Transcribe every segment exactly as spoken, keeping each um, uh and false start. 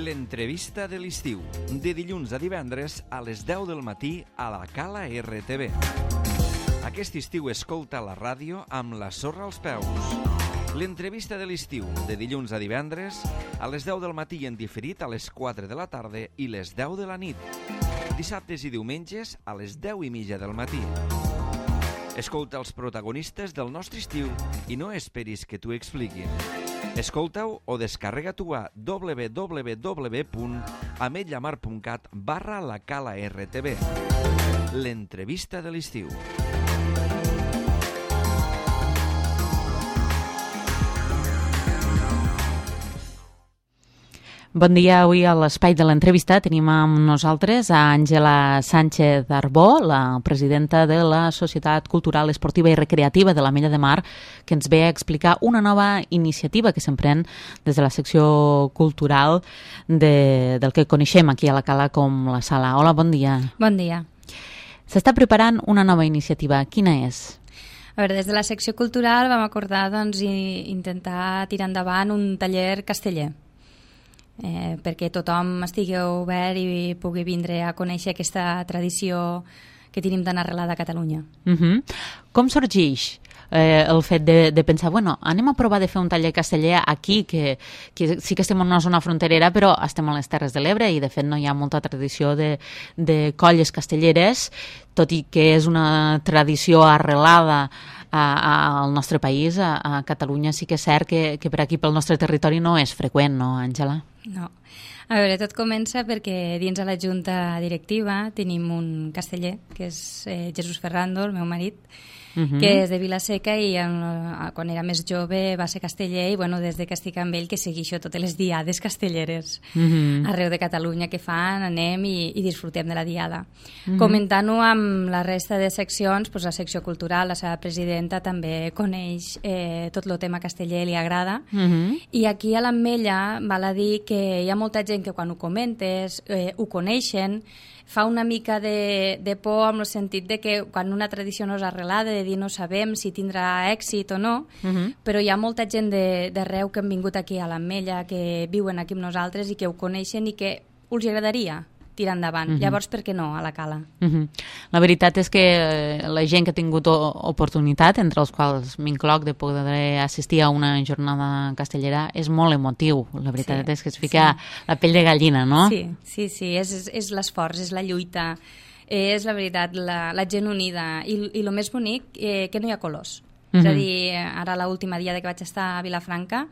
L'entrevista de l'estiu, de dilluns a divendres a les deu del matí a la Cala R T V. Aquest estiu escolta la ràdio amb la sorra als peus. L'entrevista de l'estiu, de dilluns a divendres a les deu del matí i en diferit a les quatre de la tarda i les deu de la nit. Dissabtes i diumenges a les deu i mitja del matí. Escolta els protagonistes del nostre estiu i no esperis que t'ho expliquin. Escolta-ho o descarrega-t'ho a w w w punt ametlla mar punt cat barra la Cala R T V. L'entrevista de l'estiu. Bon dia. Avui a l'espai de l'entrevista tenim amb nosaltres a Àngela Sánchez Arbó, la presidenta de la Societat Cultural, Esportiva i Recreativa de l'Ametlla de Mar, que ens ve a explicar una nova iniciativa que s'emprèn des de la secció cultural de, del que coneixem aquí a la Cala com la Sala. Hola, bon dia. Bon dia. S'està preparant una nova iniciativa. Quina és? A veure, des de la secció cultural vam acordar doncs, intentar tirar endavant un taller casteller. Eh, perquè tothom estigui obert i pugui vindre a conèixer aquesta tradició que tenim tan arrelada a Catalunya. Uh-huh. Com sorgeix eh, el fet de, de pensar, bueno, anem a provar de fer un taller casteller aquí, que, que sí que estem en una zona fronterera, però estem a les Terres de l'Ebre i de fet no hi ha molta tradició de, de colles castelleres, tot i que és una tradició arrelada a, a, al nostre país, a, a Catalunya. Sí que és cert que, que per aquí, pel nostre territori, no és freqüent, no, Àngela? No. A veure, tot comença perquè dins de la junta directiva tenim un casteller, que és eh, Jesús Ferrando, el meu marit, uh-huh. que és de Vila-seca i en, quan era més jove va ser casteller i bueno, des de que estic amb ell que segueixo totes les diades castelleres uh-huh. arreu de Catalunya que fan, anem i, i disfrutem de la diada. Uh-huh. Comentant-ho amb la resta de seccions, doncs la secció cultural, la seva presidenta també coneix eh, tot el tema casteller, li agrada, uh-huh. i aquí a l'Ametlla val a dir que hi ha molta gent que quan ho comentes eh, ho coneixen, fa una mica de, de por en el sentit de que quan una tradició no és arrelada, de dir no sabem si tindrà èxit o no, uh-huh. però hi ha molta gent d'arreu que han vingut aquí a l'Ametlla, que viuen aquí amb nosaltres i que ho coneixen i que us agradaria tirar endavant. Uh-huh. Llavors, per què no, a la Cala? Uh-huh. La veritat és que la gent que ha tingut oportunitat, entre els quals m'incloc, de poder assistir a una jornada castellera, és molt emotiu. La veritat sí, és que es fica sí. la pell de gallina, no? Sí, sí, sí. És, és, és l'esforç, és la lluita, és la veritat, la, la gent unida. I, i el més bonic, eh, que no hi ha colors. Uh-huh. És a dir, ara l'última dia que vaig estar a Vilafranca,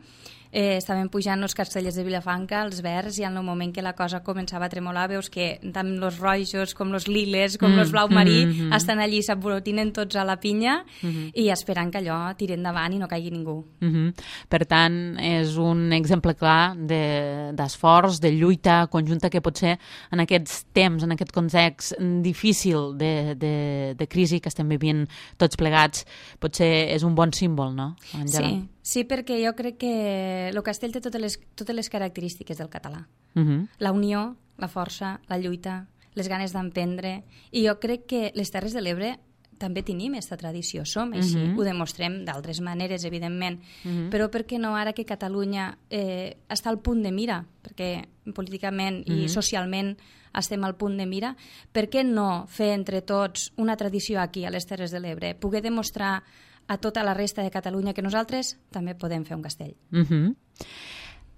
Eh, estaven pujant els castellers de Vilafranca, els verds, i en el moment que la cosa començava a tremolar veus que tant els rojos com els liles com mm, els blau marí mm, mm, estan allí, s'aborotinen tots a la pinya mm, i esperant que allò tiri endavant i no caigui ningú. Mm -hmm. Per tant, és un exemple clar d'esforç, de, de lluita conjunta que pot ser en aquests temps, en aquest context difícil de, de, de crisi que estem vivint tots plegats, potser és un bon símbol, no, Àngela? Sí. Sí, perquè jo crec que el castell té totes les, totes les característiques del català. Uh-huh. La unió, la força, la lluita, les ganes d'emprendre. I jo crec que les Terres de l'Ebre també tenim aquesta tradició, som així. Uh-huh. Ho demostrem d'altres maneres, evidentment. Uh-huh. Però per què no ara que Catalunya eh, està al punt de mira, perquè políticament uh-huh. i socialment estem al punt de mira, per què no fer entre tots una tradició aquí, a les Terres de l'Ebre? Poder demostrar a tota la resta de Catalunya que nosaltres també podem fer un castell. Uh-huh.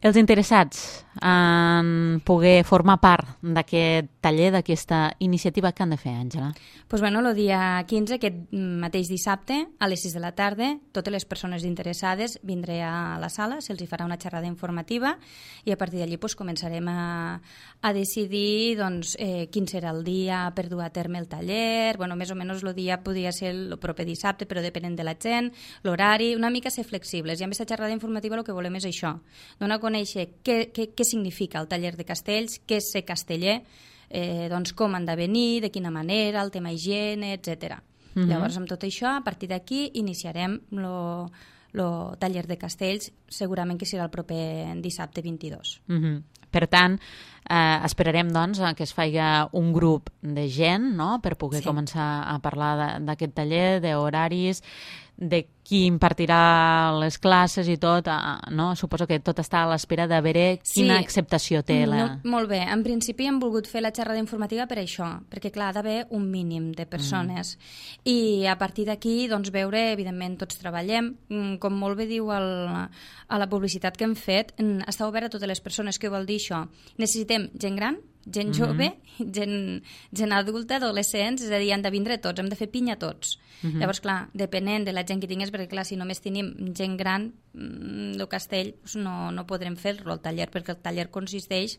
Els interessats en poder formar part d'aquest taller, d'aquesta iniciativa, què han de fer, Àngela? Pues bueno, el dia quinze, aquest mateix dissabte, a les sis de la tarda, totes les persones interessades vindré a la sala, se'ls hi farà una xerrada informativa i a partir d'allí pues, començarem a, a decidir doncs, eh, quin serà el dia per dur a terme el taller. Bueno, més o menys el dia podria ser el proper dissabte, però depenent de la gent, l'horari, una mica ser flexibles. I amb aquesta xerrada informativa el que volem és això, donar a conèixer què, què, què significa el taller de castells, què és ser casteller, eh, doncs com han de venir, de quina manera, el tema higiene, etcètera. Uh-huh. Llavors, amb tot això, a partir d'aquí, iniciarem el taller de castells, segurament que serà el proper dissabte vint-i-dos. Uh-huh. Per tant, eh, esperarem doncs, que es faci un grup de gent, no?, per poder sí. començar a parlar d'aquest taller, d'horaris, de qui impartirà les classes i tot, no? Suposo que tot està a l'espera de veure quina sí. acceptació té la... No, molt bé. En principi hem volgut fer la xerrada informativa per això, perquè clar, ha d'haver un mínim de persones. Mm. I a partir d'aquí, doncs, veure, evidentment, tots treballem. Com molt bé diu el, a la publicitat que hem fet, està obert a totes les persones. Què vol dir això? Necessitem gent gran, gent jove, mm-hmm. gent, gent adulta, adolescents, és a dir, han de vindre tots, hem de fer pinya tots. Mm-hmm. Llavors, clar, depenent de la gent que tingués, perquè clar, si només tenim gent gran, el castell doncs no, no podrem fer-lo el taller, perquè el taller consisteix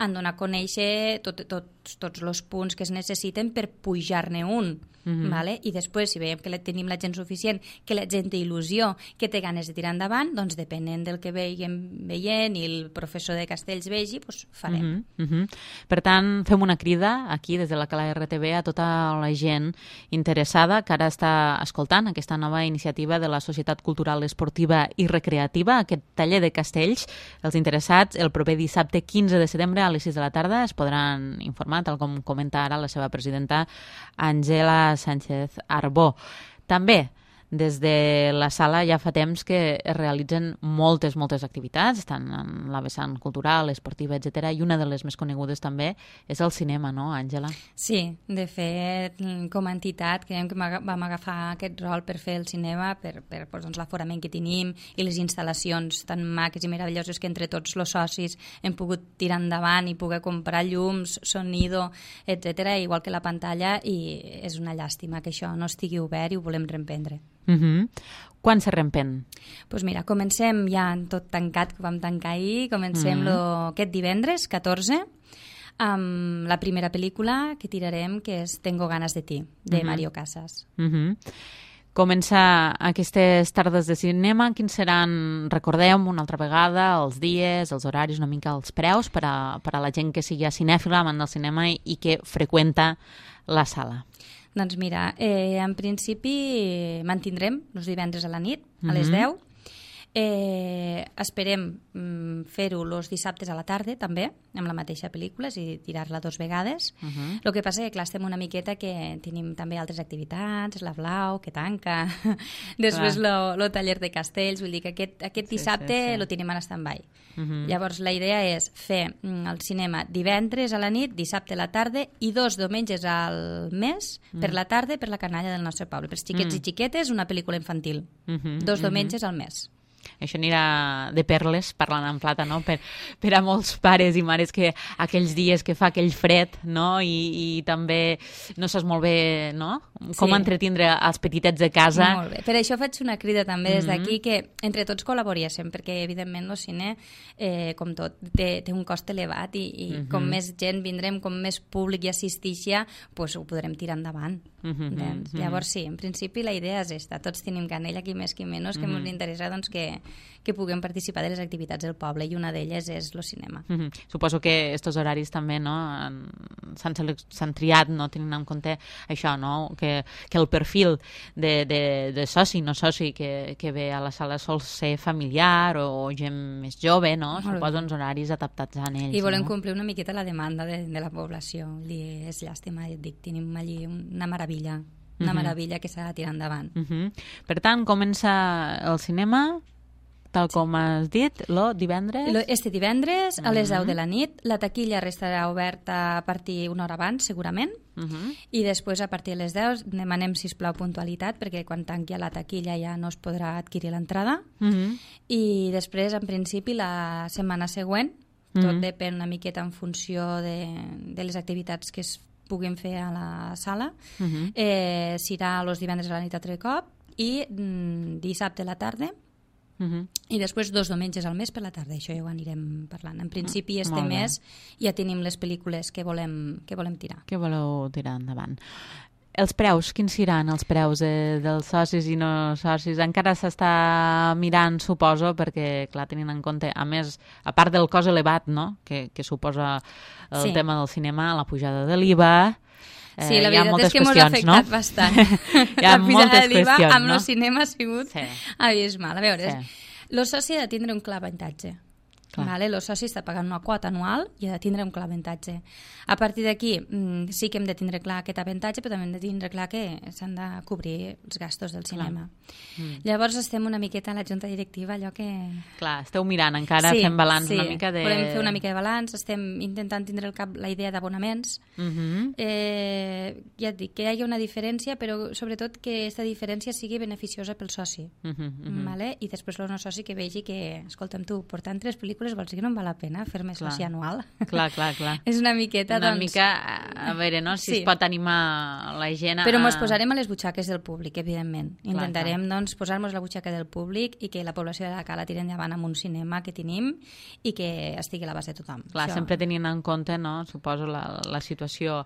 en donar a conèixer tot, tots, tots els punts que es necessiten per pujar-ne un. Mm-hmm. Vale? I després, si veiem que tenim la gent suficient, que la gent té il·lusió, que té ganes de tirar endavant, doncs depenent del que veiem veient i el professor de castells vegi, doncs farem. Mm-hmm. Mm-hmm. Per tant, fem una crida aquí des de la Cala R T V a tota la gent interessada que ara està escoltant aquesta nova iniciativa de la Societat Cultural Esportiva i Recreativa, aquest taller de castells. Els interessats, el proper dissabte quinze de setembre a les sis de la tarda es podran informar, tal com comenta ara la seva presidenta Àngela Sánchez Arbó. També des de la sala ja fa temps que es realitzen moltes, moltes activitats, estan en la vessant cultural, esportiva, etcètera, i una de les més conegudes també és el cinema, no, Àngela? Sí, de fet, com a entitat creiem que vam agafar aquest rol per fer el cinema, per, per doncs, l'aforament que tenim i les instal·lacions tan maques i meravelloses que entre tots els socis hem pogut tirar endavant i poder comprar llums, sonido, etcètera, igual que la pantalla, i és una llàstima que això no estigui obert i ho volem reemprendre. Uh-huh. Quan se reempen? Pues mira, comencem ja tot tancat, que vam tancar ahir, comencem uh-huh. lo, aquest divendres, catorze, amb la primera pel·lícula que tirarem, que és Tengo ganas de ti, de uh-huh. Mario Casas. Uh-huh. Comença aquestes tardes de cinema, quins seran, recordem una altra vegada, els dies, els horaris, una mica els preus per a, per a la gent que sigui cinèfila, amant del cinema i, i que freqüenta la sala? Doncs mira, eh, en principi mantindrem els divendres a la nit, a les deu. Eh, esperem mm, fer-ho els dissabtes a la tarda, també, amb la mateixa pel·lícula, és a dir, tirar-la dos vegades. El uh-huh. que passa és que, clar, estem una miqueta que tenim també altres activitats, la Blau, que tanca, després el taller de castells, vull dir que aquest, aquest sí, dissabte sí, sí. lo tenim en stand-by. Uh-huh. Llavors, la idea és fer mm, el cinema divendres a la nit, dissabte a la tarda i dos diumenges al mes, uh-huh. per la tarda, per la canalla del nostre poble. Per xiquets uh-huh. i xiquetes, una pel·lícula infantil. Uh-huh. Dos diumenges uh-huh. al mes. Això anirà de perles, parlant en plata, no? Per, per a molts pares i mares que aquells dies que fa aquell fred, no? I, i també no saps molt bé, no? Com sí. entretindre els petitets de casa. Molt bé. Per això faig una crida també des d'aquí, mm-hmm. que entre tots col·laboréssim, perquè evidentment el cine, eh, com tot, té, té un cost elevat i, i mm-hmm. com més gent vindrem, com més públic hi assistixi, pues ho podrem tirar endavant. Mm-hmm. Doncs, llavors sí, en principi la idea és esta. Tots tenim canella, qui més, qui menys, que mm-hmm. ens interessa doncs, que que puguem participar de les activitats del poble i una d'elles és el cinema. Mm-hmm. Suposo que estos horaris també no, s'han triat no, tenint en compte això, no? que, que el perfil de, de, de soci, no soci que, que ve a la sala sol ser familiar o gent més jove, no? Suposo uns horaris adaptats a ells. I volem no? complir una miqueta la demanda de, de la població. Dir, és llàstima, et dic, tenim allí una meravella, una uh-huh. meravella que s'ha de tirar endavant. Uh-huh. Per tant, comença el cinema tal com has dit, lo divendres? Este divendres, a les deu de la nit. La taquilla restarà oberta a partir una hora abans, segurament, uh-huh. i després, a partir de les deu, demanem, sisplau, puntualitat, perquè quan tanqui la taquilla ja no es podrà adquirir l'entrada. Uh-huh. I després, en principi, la setmana següent, tot uh-huh. depèn una miqueta en funció de, de les activitats que es puguin fer a la sala, uh-huh. eh, serà els divendres a la nit altre cop i mm, dissabte a la tarda. Uh-huh. I després dos diumenges al mes per la tarda, això ja ho anirem parlant. En principi, este uh, mes ja tenim les pel·lícules que volem, que volem tirar. Que voleu tirar endavant. Els preus, quins seran els preus de, dels socis i no socis? Encara s'està mirant, suposo, perquè, clar, tenint en compte, a més, a part del cost elevat, no?, que, que suposa el sí. tema del cinema, la pujada de l'I V A... Eh, sí, la veritat és que m'ho ha afectat no? bastant. Hi ha la moltes de l'I V A qüestions, amb no? el cinema ha sigut sí. abismal. A veure, sí. el soci ha de tindre un clar avantatge. Vale? El soci està pagant una quota anual i ha de tindre un clar avantatge. A partir d'aquí sí que hem de tindre clar aquest avantatge, però també hem de tindre clar que s'han de cobrir els gastos del cinema. Mm. Llavors estem una miqueta a la junta directiva, allò que... Clar, esteu mirant encara, sí, fent balanç sí. una mica de... volem fer una mica de balanç, estem intentant tindre al cap la idea d'abonaments. Mm-hmm. eh, ja et dic, que hi hagi una diferència, però sobretot que aquesta diferència sigui beneficiosa pel soci. Mm-hmm, mm-hmm. Vale? I després el no soci que vegi que, escolta'm tu, portant tres pel·lícules vols dir que no em val la pena fer-me soci anual? Clar, clar, clar. És una miqueta, una doncs... mica, a veure, no? Si sí. es pot animar la gent a... Però ens posarem a les butxaques del públic, evidentment. Clar, Intentarem, clar. doncs, posar-nos a la butxaca del públic i que la població de la Cala tiri endavant amb un cinema que tenim i que estigui a l'abast de tothom. Clar, Això... sempre tenint en compte, no?, suposo, la, la situació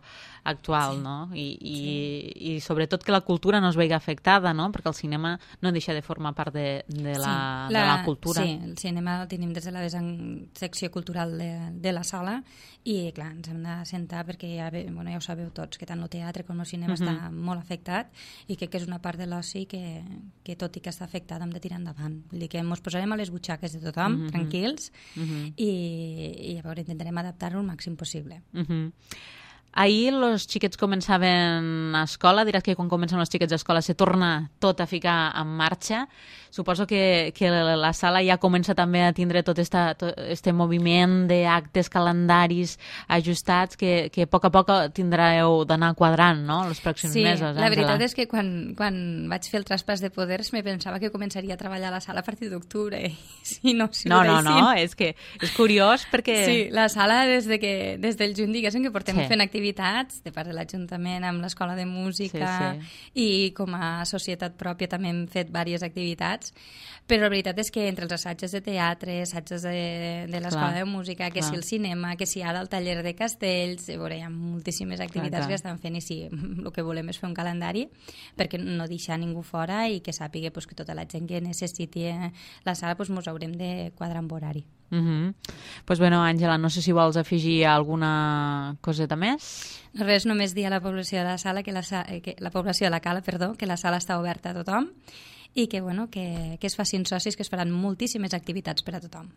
actual, sí. no? I, i, sí. i sobretot que la cultura no es vegi afectada, no?, perquè el cinema no deixa de formar part de, de, la, sí, la, de la cultura. Sí, el cinema el tenim des de la secció cultural de, de la sala i, clar, ens hem de sentar perquè ja, bueno, ja ho sabeu tots, que tant el teatre com el cinema uh-huh. està molt afectat i crec que és una part de l'oci que, que tot i que està afectada hem de tirar endavant. Vull dir que ens posarem a les butxaques de tothom, uh-huh. tranquils, uh-huh. i, i llavors intentarem adaptar-ho el màxim possible. Uh-huh. Ahir els xiquets començaven a escola, diràs que quan comencen els xiquets a escola se torna tot a ficar en marxa. Suposo que, que la sala ja comença també a tindre tot aquest moviment d'actes, calendaris ajustats que, que a poc a poc tindreu d'anar quadrant, no?, els pròxims sí, mesos. Sí, la veritat és que quan, quan vaig fer el traspàs de poders me pensava que començaria a treballar a la sala a partir d'octubre. Si no, si no, no, no, és que és curiós perquè... Sí, la sala des, de que, des del juny, diguéssim, que portem sí. fent activitats de part de l'Ajuntament amb l'Escola de Música sí, sí. i com a societat pròpia també hem fet diverses activitats, però la veritat és que entre els assajos de teatre, assajos de, de l'Escola de Música, que clar. si el cinema, que si ara el taller de castells, veure, hi ha moltíssimes activitats clar, clar. que estan fent i sí, el que volem és fer un calendari perquè no deixar ningú fora i que sàpiga pues, que tota la gent que necessiti la sala pues, mos haurem de quadrar amb horari. Uh -huh. Pues bueno, Àngela, no sé si vols afegir alguna coseta més. Res, només dir a la població de la sala que la, que la població de la Cala, perdó, que la sala està oberta a tothom i que, bueno, que, que es facin socis, que es faran moltíssimes activitats per a tothom.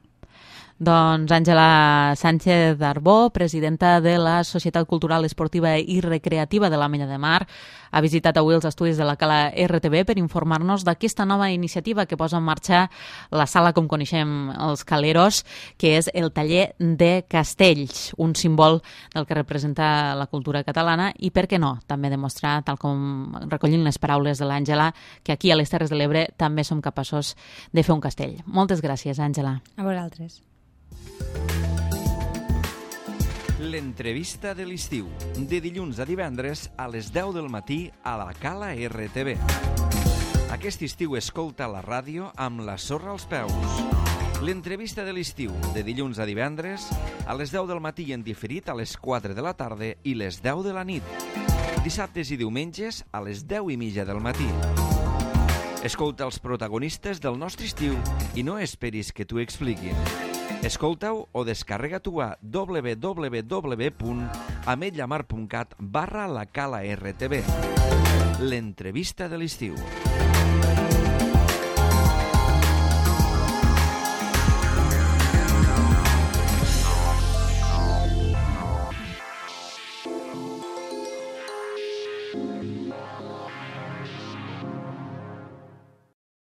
Doncs Àngela Sánchez Arbó, presidenta de la Societat Cultural, Esportiva i Recreativa de l'Ametlla de Mar, ha visitat avui els estudis de la Cala R T V per informar-nos d'aquesta nova iniciativa que posa en marxa la sala, com coneixem els caleros, que és el taller de castells, un símbol del que representa la cultura catalana i, per què no, també demostrar, tal com recollint les paraules de l'Àngela, que aquí a les Terres de l'Ebre també som capaços de fer un castell. Moltes gràcies, Àngela. A vosaltres. L'entrevista de l'estiu, de dilluns a divendres a les deu del matí a la Cala R T V. Aquest estiu escolta la ràdio amb la sorra als peus. L'entrevista de l'estiu, de dilluns a divendres a les deu del matí i en diferit a les quatre de la tarda i les deu de la nit. Dissabtes i diumenges a les deu i mitja del matí. Escolta els protagonistes del nostre estiu i no esperis que t'ho expliquin. Escolta-ho o descarrega-t'ho a w w w punt ametllamar punt cat barra la Cala R T V. L'entrevista de l'estiu.